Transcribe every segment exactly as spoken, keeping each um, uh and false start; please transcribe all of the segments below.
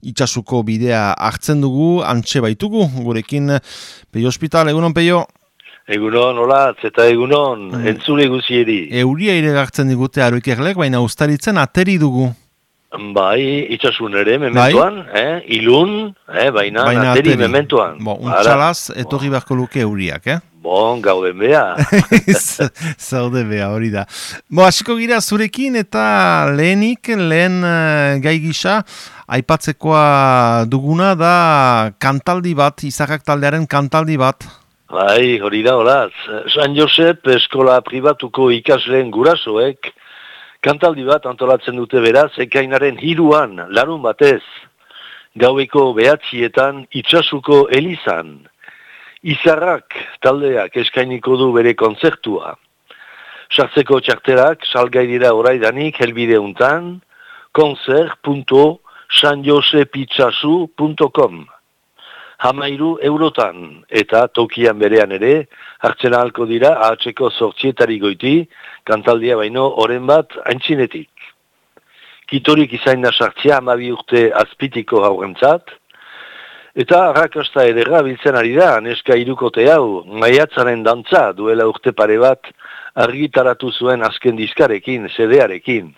Itsasuko bidea hartzen dugu, antxe baitugu, gurekin Peio Hospital, egunon Peio? Egunon, olatz, eta egunon, mm. entzule guzieri. Euria ere gartzen digute aroikerlek, baina ustaritzen ateri dugu. Bai, itxasun ere, mementoan, bai? eh? ilun, eh? baina, baina ateri, ateri mementoan. Bo, untxalaz, etorri beharko luke euriak, eh? Bon, gauden beha. Zaude beha, hori da. Bo, hasiko gira zurekin eta lehenik, lehen uh, gai gisa, aipatzekoa duguna da kantaldi bat, Izarrak taldearen kantaldi bat. Bai, hori da, horaz. San Josep eskola pribatuko ikasleen gurasoek kantaldi bat antolatzen dute beraz, ekainaren hiruan, larun batez, gaueko behatzietan itxasuko elizan. Izarrak taldeak eskainiko du bere kontzertua. Sartzeko txarterak salgai dira oraidanik helbide untan, konzert punto san josep itxasu punto com. Hamairu eurotan, eta tokian berean ere, hartzen ahalko dira ahatzeko zortzietari goiti, kantaldia baino oren bat aintzinetik. Kitorik izain da sartzia hamabi urte azpitiko haurentzat, eta arrakasta ederra biltzen ari da, neska irukote hau, maiatzaren dantza duela urte pare bat argitaratu zuen azken diskarekin, sedearekin.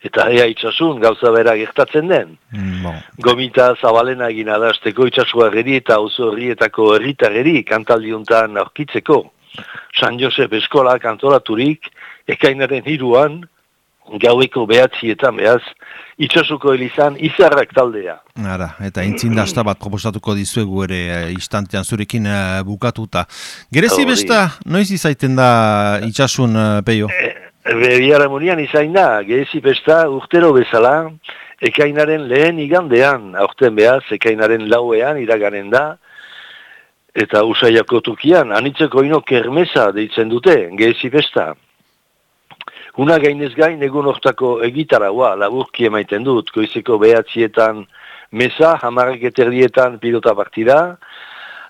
Eta ea itxasun gauza bera gertatzen den. No. Gomita zabalena egin adazteko itxasua geri eta oso herrietako herritarreri kantaldiuntan aurkitzeko. San Josep eskola kantolaturik, ekainaren hiruan, gaueko behatzietan behaz, itxasuko elizan Izarrak taldea. Ara, eta intzindasta bat proposatuko dizuegu ere instantean zurekin uh, bukatuta. Gerezi besta, noiz izaiten da itxasun, uh, Peio? E Biharamunian izain da, gerezi besta urtero bezala, ekainaren lehen igandean, aurten behaz, ekainaren lauean iraganen da, eta Usaiako tukian, anitzeko ino kermesa deitzen dute, gerezi besta. Una gainez gain egun hortako egitaraua laburki emaiten dut, goizeko behatzietan mesa, hamarrak eterdietan pilota partida,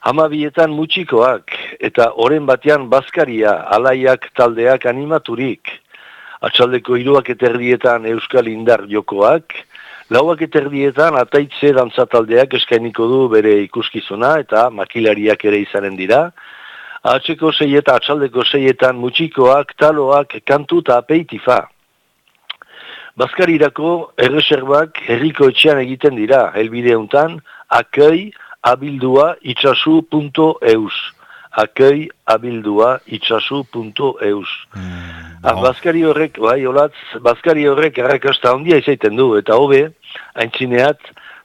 hamabietan mutxikoak, eta oren batean bazkaria, alaiak taldeak animaturik. Atxaldeko hiruak eterdietan euskal indar jokoak, lauak eterdietan ataitze dantzataldeak eskainiko du bere ikuskizuna eta makilariak ere izanen dira. Atxeko seietan, atxaldeko seietan mutxikoak, taloak, kantu eta apeitifa. Bazkarirako erreserbak herriko etxean egiten dira, helbide untan, akei abildua itxasu punto eus. Akei abildua itxasu punto eus. Mm, ah, bazkari horrek, bai, olatz, bazkari horrek errakasta handia izaiten du, eta hobe, aintzineat,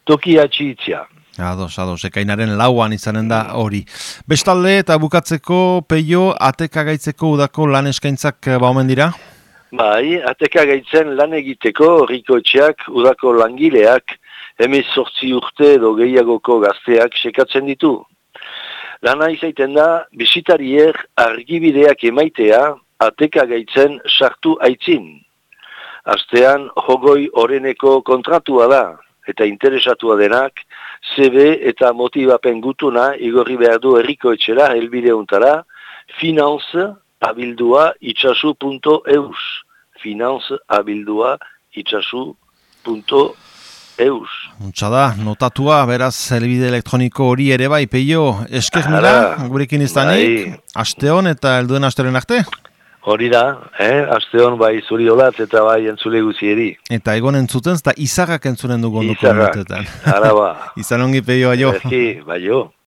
toki atxiitzia. Ados, ados, ekainaren lauan izanen da hori. Bestalde eta bukatzeko, Peio, ateka gaitzeko udako lan eskaintzak baumen dira? Bai, ateka gaitzen lan egiteko horriko etxeak udako langileak hemez sortzi urte edo gehiagoko gazteak sekatzen ditu. Lana izaiten da, bisitariek argibideak emaitea ateka gaitzen sartu aitzin. Astean, hogoi oreneko kontratua da, eta interesatua denak, C V eta motibapen gutuna igorri behar du herriko etxera helbideuntara, finance abildua itxasu punto eus. Finance abildua itxasu punto eus. Untsa da, notatua, beraz, helbide elektroniko hori ere bai, Peio, esker mila, gurekin iztanik, bai. Asteon eta helduen asteren arte? Hori da, eh? Asteon bai zuri olatz eta bai entzule guzieri. Eta egon entzuten, eta Izarrak entzunen dugu onduko minutetan. Izarrak, araba. Izan ongi, Peio, aio. Ezki, bai jo.